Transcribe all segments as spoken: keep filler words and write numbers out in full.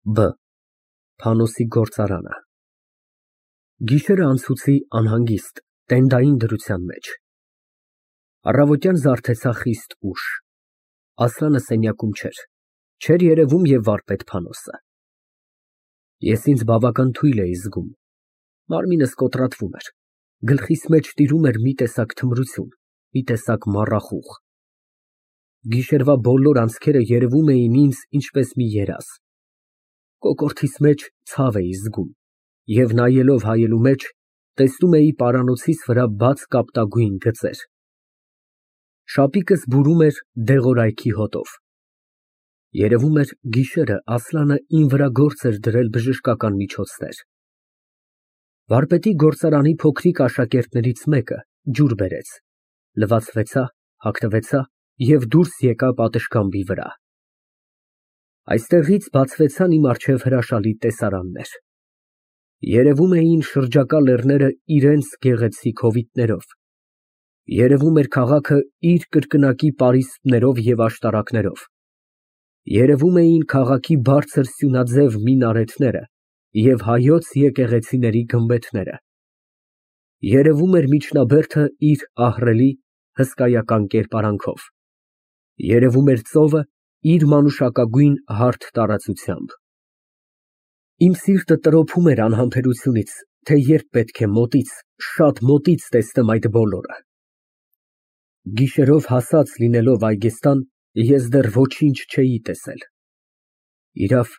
Բ Փանոսի գործարանը Գիշերը անցուցի անհանգիստ, տենդային դրության մեջ։ Առավոտյան զարթեցա խիստ ուշ։ Ասլանը սենյակում չէր, չէր երևում և վարպետ Փանոսը։ Ես ինձ բավական թույլ էի զգում, մարմինս կոտրատվում էր, գլխիս մեջ տիրում էր մի տեսակ թմրություն, մի տեսակ մառախուղ։ Գիշերվա բոլոր անցքերը երևում էին ինձ ինչպես մի երազ։ Կոկորդիս մեջ ցավ էի զգում և նայելով հայելու մեջ, տեսնում էի պարանոցիս վրա բաց կապտագույն գծեր։ Շապիկս բուրում էր դեղորայքի հոտով։ Երևում էր գիշերը Ասլանը իմ վրա գործ էր դրել բժշկական միջոցներ։ Վարպետի գործարանի փոքրիկ աշակերտներից մեկը ջուր բերեց, լվացվեցա, հագնվեցա և դուրս եկա պատշգամբի վրա։ Այստեղից բացվեցան իմ առջև հրաշալի տեսարաններ։ Երևում էին շրջակա լեռները իրենց գեղեցիկ հովիտներով, երևում էր քաղաքը իր կրկնակի պարիսպներով և աշտարակներով, երևում էին քաղաքի բարձր սյունաձև մինարեթները և հայոց եկեղեցիների գմբեթները, երևում էր միջնաբերդը իր ահռելի, հսկայական կերպարանքով, երևում էր ծովը իր մանուշակագույն հարթ տարածությամբ։ Իմ սիրտը տրոփում էր անհամբերությունից, թե երբ պետք է մոտից, շատ մոտից տեսնեմ այդ բոլորը։ Գիշերով հասած լինելով այգեստան, ես դեռ ոչինչ չէի տեսել։ Իրավ,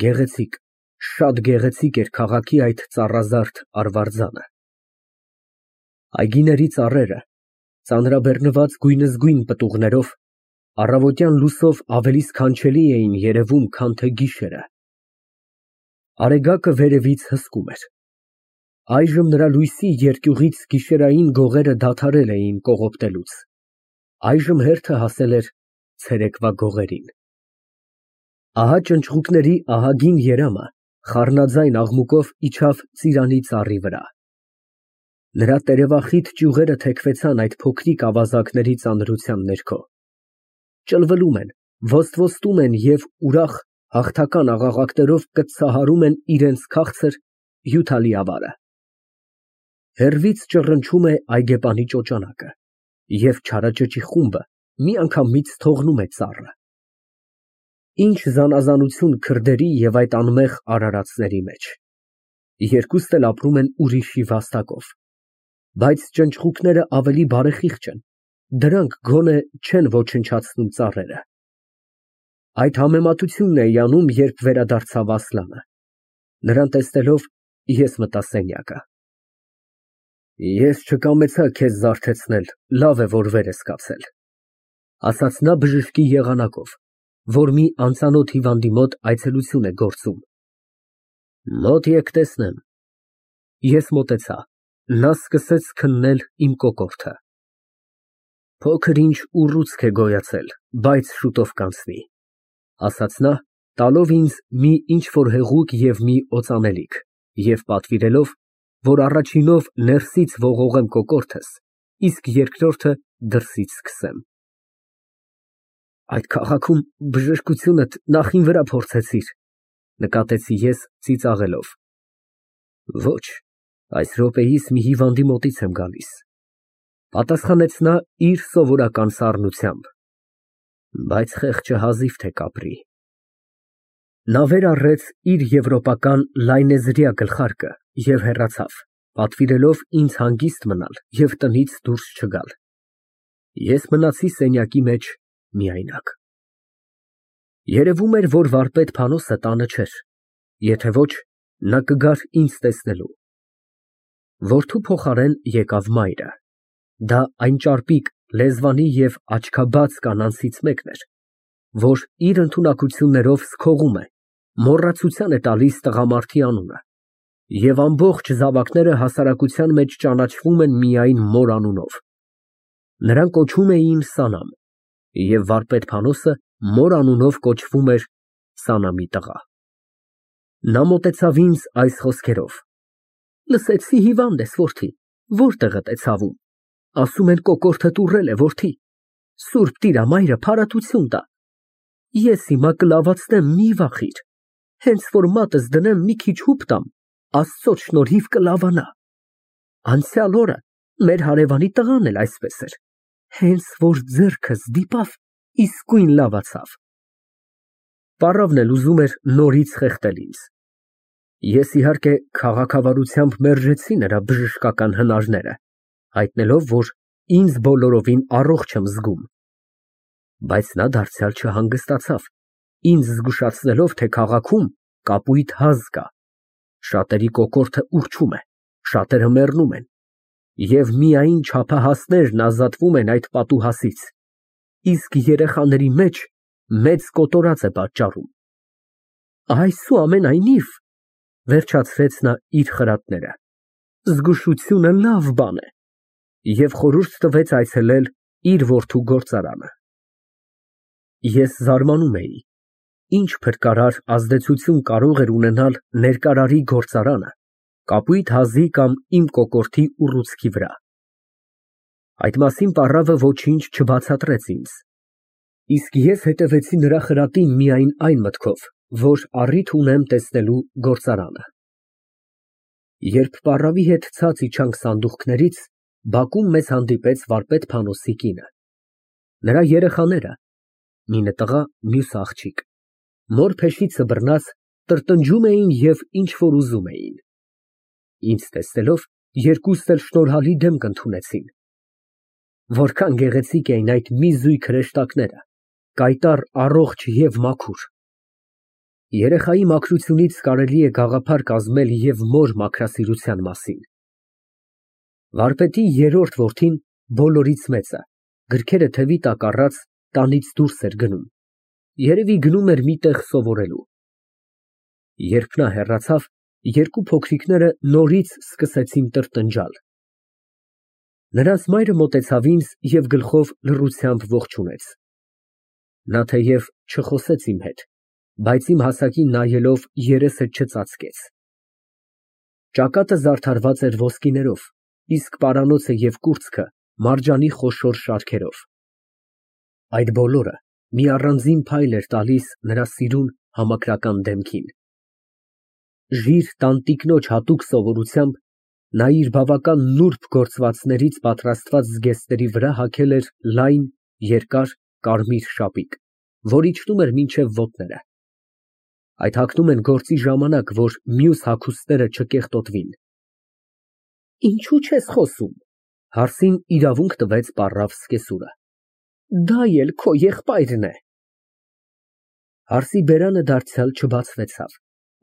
գեղեցիկ, շատ գեղեցիկ էր քաղաքի այդ ծառազարդ արվարձանը։ Այգիների ծառերը, ծանրաբեռնված գույնզգույն պտուղներով, առավոտյան լուսով ավելի սքանչելի էին երևում, քան թե գիշերը։ Արեգակը վերևից հսկում էր։ Այժմ նրա լույսի երկյուղից գիշերային գողերը դադարել էին կողոպտելուց, այժմ հերթը հասել էր ցերեկվա գողերին։ Ահա ճնճղուկների ահագին երամը խառնաձայն աղմուկով իջավ ծիրանի ծառի վրա։ Նրա տերևախիտ ճյուղերը թեքվեցան այդ փոքրիկ ավազակների ծանրության ներքո, ճլվլում են, ոստվոստում են և ուրախ, հաղթական աղաղակներով կծծահարում են իրենց քաղցր, հյութալի ավարը։ Հեռվից ճռնչում է այգեպանի ճոճանակը, և չարաճճի խումբը միանգամից թողնում է ծառը։ Ինչ զանազանություն քրդերի և այդ անմեղ արարածների մեջ։ Երկուստ էլ ապրում են ուրիշի վաստակով, բայց ճնճղուկները ավելի բարեխիղճ են, դրանք գոնե չեն ոչնչացնում ծառերը։ Այդ համեմատությունն էի անում, երբ վերադարձավ Ասլանը։ Նրան տեսնելով, ես մտա սենյակը։ Ես չկամեցա քեզ զարթեցնել, լավ է, որ վեր ես կացել, ասաց նա բժշկի եղանակով, որ մի անծանոթ հիվանդի մոտ այցելություն է գործում։ Մոտ եկ տեսնեմ։ Ես մոտեցա, նա սկսեց քննել իմ կոկորդը։ Փոքր ինչ ուռուցք է գոյացել, բայց շուտով կանցնի, ասաց նա, տալով ինձ մի ինչ֊որ հեղուկ և մի օծանելիք և պատվիրելով, որ առաջինով ներսից ողողեմ կոկորդս, իսկ երկրորդը դրսից սկսեմ։ Այդ քաղաքում բժշկությունդ նախ իմ վրա փորձեցի՞ր, նկատեցի ես ծիծաղելով։ Ոչ, այս րոպեիս մի հիվանդի մոտից եմ գալիս, պատասխանեց նա իր սովորական սառնությամբ, բայց խեղճը հազիվ թե կապրի։ Նա վեր առեց իր եվրոպական լայնեզրյա գլխարկը և հեռացավ, պատվիրելով ինձ հանգիստ մնալ և տնից դուրս չգալ։ Ես մնացի սենյակի մեջ միայնակ։ Երևում էր, որ վարպետ Փանոսը տանը չէր, եթե ոչ, նա կգար ինձ տեսնելու։ Որդու փոխարեն եկավ մայրը։ Դա այն ճարպիկ, լեզվանի և աչքաբաց կանանցից մեկն էր, որ իր ընդունակություններով սքողում է, մոռացության է տալիս տղամարդի անունը, և ամբողջ զավակները հասարակության մեջ ճանաչվում են միայն մոր անունով։ Նրան կոչում էին Սանամ, և վարպետ Փանոսը մոր անունով կոչվում էր Սանամի տղա։ Նա մոտեցավ ինձ այս խոսքերով. Լսեցի հիվանդ ես, որդի, որտեղդ է ցավում, ասում են կոկորդդ ուռել է, որդի, Սուրբ Տիրամայրը փարատություն տա, ես հիմա կլավացնեմ, մի վախիր, Հենց որ մատս դնեմ մի քիչ հուպ տամ, Աստծոց շնորհիվ կլավանա։ Անցյալ օրը մեր հարևանի տղան էլ այսպես էր, հենց որ ձեռքս դիպավ, իսկույն լավացավ։ Պառավն էլ ուզում էր նորից խեղդել ինձ։ Ես, իհարկե, քաղաքավարությամբ մերժեցի նրա բժշկական հնարները, հայտնելով, որ ինձ բոլորովին առողջ եմ զգում։ Բայց նա դարձյալ չհանգստացավ, ինձ զգուշացնելով, թե քաղաքում կապույտ հազ կա, շատերի կոկորդը ուռչում է, շատերը մեռնում են, և միայն չափահասներն ազատվում են այդ պատուհասից, իսկ երեխաների մեջ մեծ կոտորած է պատճառում։ Այսուամենայնիվ, վերջացրեց նա իր խրատները, զգուշությունը լավ բան է, և խորհուրդ տվեց այցելել իր որդու գործարանը։ Ես զարմանում էի, ինչ փրկարար ազդեցություն կարող էր ունենալ ներկարարի գործարանը կապույտ հազի կամ իմ կոկորդի ուռուցքի վրա։ Այդ մասին պառավը ոչինչ չբացատրեց ինձ, իսկ ես հետևեցի նրա խրատին միայն այն մտքով, որ առիթ ունեմ տեսնելու գործարանը։ Երբ պառավի հետ ցած իջանք սանդուղքներից, բակում մեզ հանդիպեց վարպետ Փանոսի կինը։ Նրա երեխաները, մինը տղա, մյուսը աղջիկ, մոր փեշիցը բռնած տրտնջում էին և ինչ֊որ ուզում էին։ Ինձ տեսնելով, երկուստ էլ շնորհալի դեմք ընդունեցին։ Որքան գեղեցիկ էին այդ մի զույգ հրեշտակները, կայտառ, առողջ և մաքուր։ Երեխայի մաքրությունից կարելի է գաղափար կազմել և մոր մաքրասիրության մասին։ Վարպետի երրորդ որդին բոլորից մեծը, գրքերը թևի տակ առած, տանից դուրս էր գնում, երևի գնում էր մի տեղ սովորելու։ Երբ նա հեռացավ, երկու փոքրիկները նորից սկսեցին տրտնջալ։ Նրանց մայրը մոտեցավ ինձ և գլխով լռությամբ ողջունեց։ Նա թեև չխոսեց իմ հետ, բայց իմ հասակին նայելով երեսը չծածկեց։ Ճակատը զարդարված էր ոսկիներով, իսկ պարանոցը և կուրծքը մարջանի խոշոր շարքերով։ Այդ բոլորը մի առանձին փայլ էր տալիս նրա սիրուն, համակրական դեմքին։ Ժիր տանտիկնոջ հատուկ սովորությամբ նա իր բավական նուրբ գործվածներից պատրաստված զգեստների վրա հագել էր լայն, երկար, կարմիր շապիկ, որ իջնում էր մինչև ոտները։ Այդ հագնում են գործի ժամանակ, որ մյուս հագուստները չկեղտոտվին։ Ինչո՞ւ չես խոսում, հարցին իրավունք տվեց պառավ սկեսուրը։ Դա էլ քո եղբայրն է։ Հարցի բերանը դարձյալ չբացվեցավ,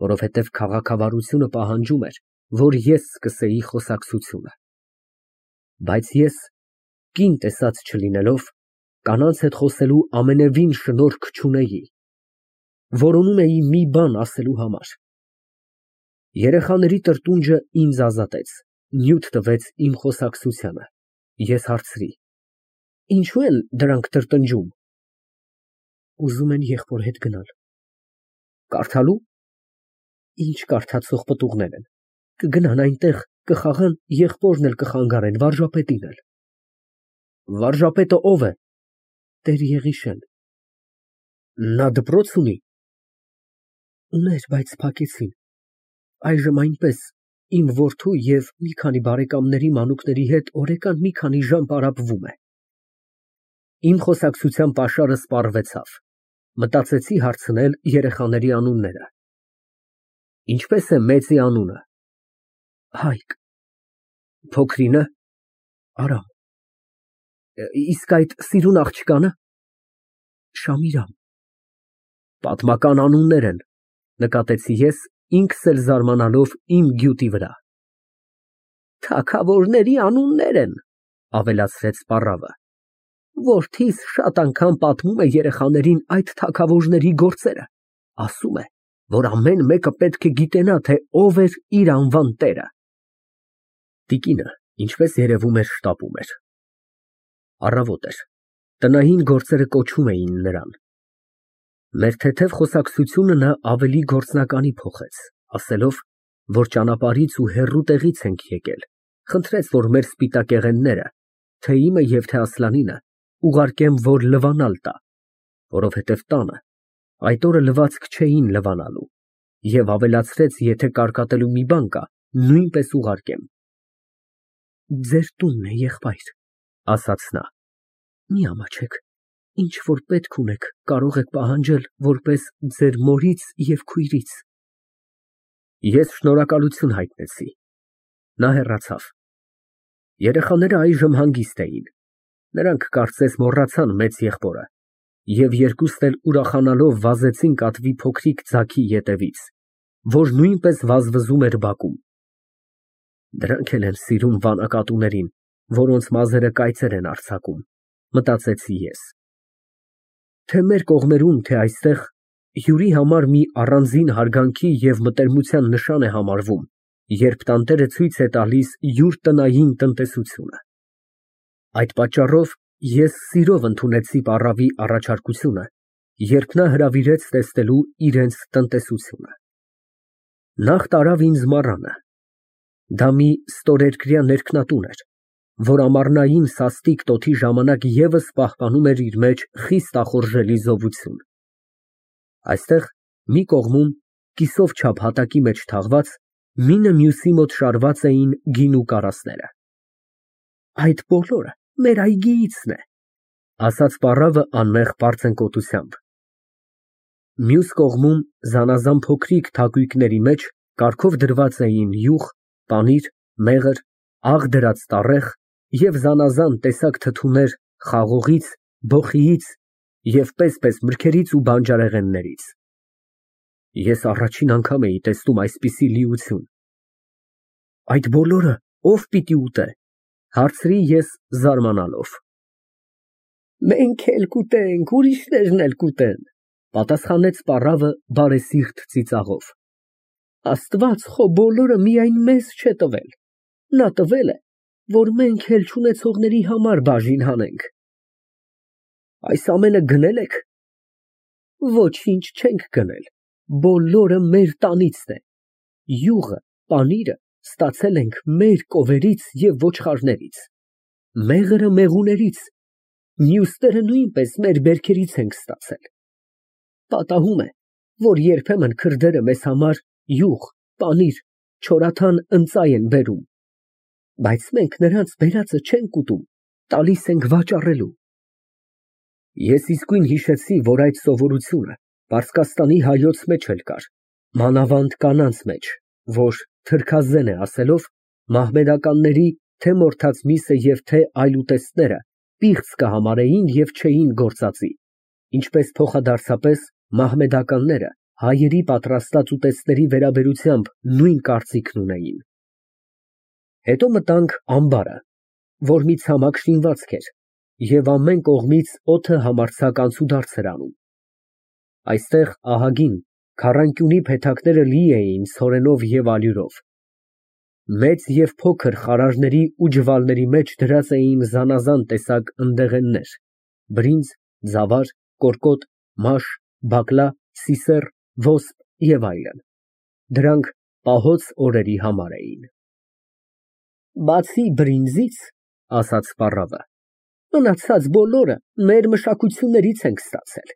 որովհետև քաղաքավարությունը պահանջում էր, որ ես սկսեի խոսակցությունը։ Բայց ես, կին տեսած չլինելով, կանանց հետ խոսելու ամենևին շնորք չունեի, որոնում էի մի բան ասելու համար։ Երեխաների տրտունջը ինձ ազատեց, նյութ տվեց իմ խոսակցությանը։ Ես հարցրի. Ինչո՞ւ են դրանք տրտնջում։ Ուզում են եղբոր հետ գնալ։ Կարդալու։ Ինչ կարդացող պտուղներ են, կգնան այնտեղ, կխաղան, եղբորն էլ կխանգարեն, վարժապետին էլ։ Վարժապետը ո՞վ է։ Տեր Եղիշեն։ Նա դպրո՞ց ունի։ Ուներ, բայց փակեցին։ Այժմ այնպես, իմ որդու և մի քանի բարեկամների մանուկների հետ օրեկան մի քանի ժամ պարապվում է։ Իմ խոսակցության պաշարը սպառվեցավ, մտածեցի հարցնել երեխաների անունները։ Ինչպես է մեծի անունը։ Հայկ։ Փոքրինը։ Արամ։ Իսկ այդ սիրուն աղջկանը։ Շամիրամ։ Պատմական անուններ են, նկատեցի ես, ինքս էլ զարմանալով իմ գյուտի վրա։ Թագավորների անուններ են, ավելացրեց պառավը։ Որդիս շատ անգամ պատմում է երեխաներին այդ թագավորների գործերը, ասում է, որ ամեն մեկը պետք է գիտենա, թե ով էր իր անվան տերը։ Տիկինը, ինչպես երևում էր, շտապում էր։ Առավոտ էր, տնային գործերը կոչում էին նրան։ Մեր թեթև խոսակցությունը նա ավելի գործնականի փոխեց, ասելով, որ ճանապարհից ու հեռու տեղից ենք եկել, խնդրեց, որ մեր սպիտակեղենները, թե իմը և թե Ասլանինը, ուղարկեմ, որ լվանալ տա, որովհետև տանը այդ օրը լվացք չէին լվանալու։ Եվ ավելացրեց, եթե կարկատելու մի բան կա, նույնպես ուղարկեմ։ Ձեր տունն է, եղբայր, ասաց նա, մի ամաչեք, ինչ որ պետք ունեք, կարող եք պահանջել որպես ձեր մորից և քույրից։ Ես շնորհակալություն հայտնեցի։ Նա հեռացավ։ Երեխաները այժմ հանգիստ էին։ Նրանք կարծես մոռացան մեծ եղբորը և երկուսն էլ ուրախանալով վազեցին կատվի փոքրիկ ձագի ետևից, որ նույնպես վազվզում էր բակում։ Դրանք էլ են սիրում վանակատուներին, որոնց մազերը կայծեր են արձակում, մտածեցի ես։ Թե մեր կողմերում, թե այստեղ հյուրի համար մի առանձին հարգանքի և մտերմության նշան է համարվում, երբ տանտերը ցույց է տալիս յուր տնային տնտեսությունը։ Այդ պատճառով ես սիրով ընդունեցի պառավի առաջարկությունը, երբ նա հրավիրեց տեսնելու իրենց տնտեսությունը։ Նախ տարավ ինձ մառանը։ Դա մի ստորերկրյա ներքնատուն էր, որ ամառնային սաստիկ տոթի ժամանակ ևս պահպանում էր իր մեջ խիստ ախորժելի զովություն։ Այստեղ մի կողմում, կիսով չափ հատակի մեջ թաղված, մինը մյուսի մոտ շարված էին գինու կարասները։ Այդ բոլորը մեր այգիիցն է, ասաց պառավը անմեղ պարծենկոտությամբ։ Մյուս կողմում զանազան փոքրիկ թակույկների մեջ կարգով դրված էին յուղ, պանիր, մեղր, աղ դրած տառեղ և զանազան տեսակ թթուներ խաղողից, բոխիից և պես֊պես մրգերից ու բանջարեղեններից։ Ես առաջին անգամ էի տեսնում այսպիսի լիություն։ Այդ բոլորը ո՞վ պիտի ուտե, հարցրի ես զարմանալով։ Մենք էլ կուտենք, ուրիշներն էլ կուտեն, պատասխանեց պառավը բարեսիրտ ծիծաղով։ Աստված խո բոլորը միայն մեզ չէ տվել, նա տվել է, որ մենք էլ չունեցողների համար բաժին հանենք։ Այս ամենը գնել եք։ Ոչինչ չենք գնել, բոլորը մեր տանիցն է, յուղը, պանիրը ստացել ենք մեր կովերից և ոչխարներից, մեղրը մեղուներից, մյուսները նույնպես մեր բերքերից ենք ստացել։ Պատահում է, որ երբեմն քրդերը մեզ համար յուղ, պանիր, չորաթան ընծայ են բերում, բայց մենք նրանց բերածը չենք ուտում, տալիս ենք վաճառելու։ Ես իսկույն հիշեցի, որ այդ սովորությունը Պարսկաստանի հայոց մեջ էլ կար, մանավանդ կանանց մեջ, որ թրքազեն է ասելով, մահմեդականների թե մորթած միսը և թե այլ ուտեստները պիղծ կհամարեին և չէին գործածի, ինչպես փոխադարձապես մահմեդականները հայերի պատրաստած ուտեստների վերաբերությամբ նույն կարծիքն ունեին։ Հետո մտանք ամբարը, որ մի ցամաք շինվածք էր, և ամեն կողմից օդը համարձակ անցուդարձ էր անում։ Այստեղ ահագին, քառանկյունի փեթակները լի էին ցորենով և ալյուրով։ Մեծ և փոքր խարարների ու ջվալների մեջ դրած էին զանազան տեսակ ընդեղեններ, բրինձ, ձավար, կորկոտ, մաշ, բակլա, սիսեռ, ոսպ և այլն, դրանք պահոց օրերի համար էին։ Բացի բրինձից, ասաց պառավը, մնացած բոլորը մեր մշակություններից ենք ստացել։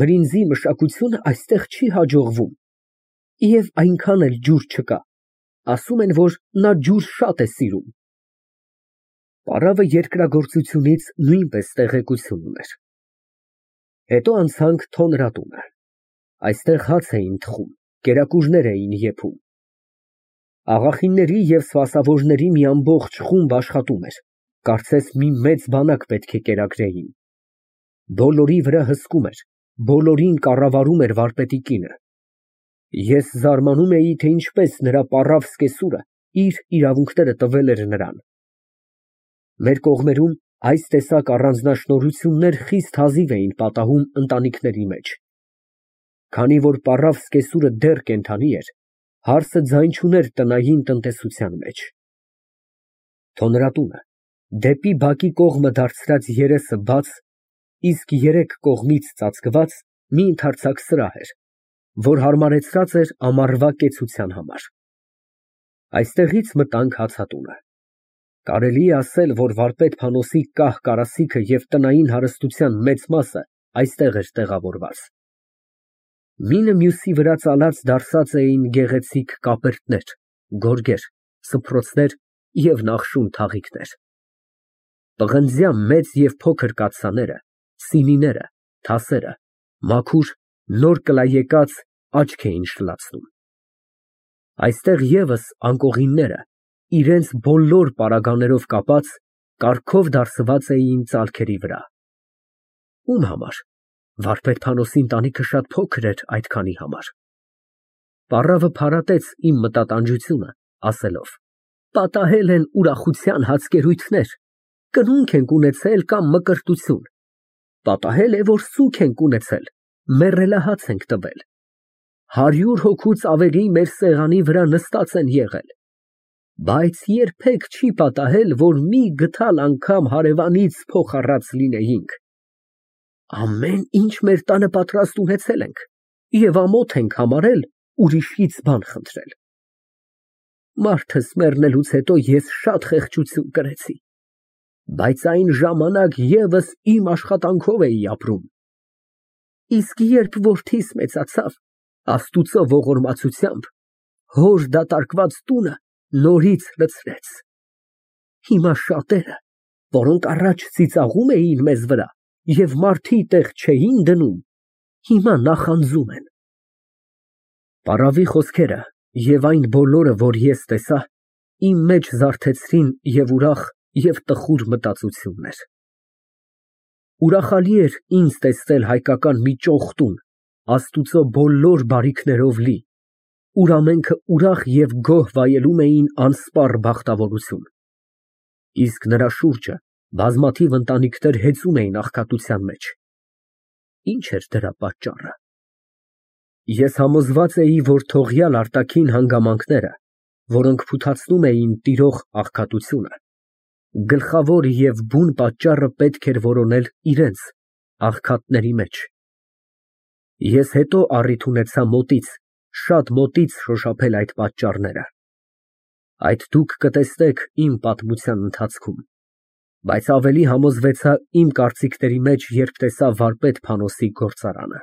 Բրինձի մշակությունը այստեղ չի հաջողվում և այնքան էլ ջուր չկա, ասում են, որ նա ջուր շատ է սիրում։ Պառավը երկրագործությունից նույնպես տեղեկություն ուներ։ Հետո անցանք թոնրատունը։ Այստեղ հաց էին թխում, կերակուրներ էին եփում։ Աղախինների և սպասավորների մի ամբողջ խումբ աշխատում էր, կարծես մի մեծ բանակ պետք է կերակրեին։ Բոլորի վրա հսկում էր, բոլորին կառավարում էր վարպետի կինը։ Ես զարմանում էի, թե ինչպես նրա պառավ սկեսուրը իր իրավունքները տվել էր նրան։ Մեր կողմերում այս տեսակ առանձնաշնորհություններ խիստ հազիվ էին պատահում ընտանիքների մեջ։ Քանի որ պառավ սկեսուրը դեռ կենդանի էր, հարցը ձայն չուներ տնային տնտեսության մեջ։ Թոնրատունը, դեպի բակի կողմը դարձրած երեսը բաց, իսկ երեք կողմից ծածկված մի ընդարձակ սրահ էր, որ հարմարեցրած էր ամառվա կեցության համար։ Այստեղից մտանք հացատունը։ Կարելի է ասել, որ վարպետ Փանոսի կահ կարասիքը և տնային հարստության մեծ մասը այստեղ էր տեղավորված։ Մինը մյուսի վրա ծալած դարսած էին գեղեցիկ կապերտներ, գորգեր, սփռոցներ և նախշուն թաղիքներ։ Պղնձյա մեծ և փոքր կաթսաները, սինիները, թասերը, մաքուր, նոր կլայեկած աչք էին շլացնում։ Այստեղ ևս անկողինները, իրենց բոլոր պարագաներով կապած, կառքով դարսված էին ծալքերի վրա։ Ում համար։ Վարպետ Փանոսի ընտանիքը շատ փոքր էր այդքանի համար։ Պառավը փարատեց իմ մտատանջությունը, ասելով. Պատահել են ուրախության հացկերույթներ, կնունք ենք ունեցել կամ մկրտություն, պատահել է, որ սուգ ենք ունեցել, մեռելահաց ենք տվել, հարյուր հոգուց ավելի մեր սեղանի վրա նստած են եղել, բայց երբեք չի պատահել, որ մի գթալ անգամ հարևանից փող առած լինեինք։ Ամեն ինչ մեր տանը պատրաստ ունեցել ենք և ամոթ ենք համարել ուրիշից բան խնդրել։ Մարդս մեռնելուց հետո ես շատ խեղճություն կրեցի, բայց այն ժամանակ ևս իմ աշխատանքով էի ապրում։ Իսկ երբ որդիս մեծացավ, Աստուծո ողորմածությամբ հոր դատարկված տունը նորից լցրեց։ Հիմա շատերը, որոնք առաջ ծիծաղում էին մեզ վրա և մարդի տեղ չէին դնում, հիմա նախանձում են։ Պառավի խոսքերը և այն բոլորը, որ ես տեսա, իմ մեջ զարթեցրին և ուրախ, և տխուր մտածություններ։ Ուրախալի էր ինձ տեսնել հայկական մի ճոխ տուն, Աստուծո բոլոր բարիքներով լի, ուր ամենքը ուրախ և գոհ վայելում էին անսպառ բախտավորություն։ Իսկ նրա շուրջը բազմաթիվ ընտանիքներ հեծում էին աղքատության մեջ։ Ինչ էր դրա պատճառը։ Ես համոզված էի, որ թողյալ արտաքին հանգամանքները, որոնք փութացնում էին տիրող աղքատությունը, գլխավոր և բուն պատճառը պետք էր որոնել իրենց, աղքատների մեջ։ Ես հետո առիթ ունեցա մոտից, շատ մոտից շոշափել այդ պատճառները։ Այդ դուք կտեսնեք իմ պատմության ընթացքում, բայց ավելի համոզվեցա իմ կարծիքների մեջ, երբ տեսա վարպետ Փանոսի գործարանը։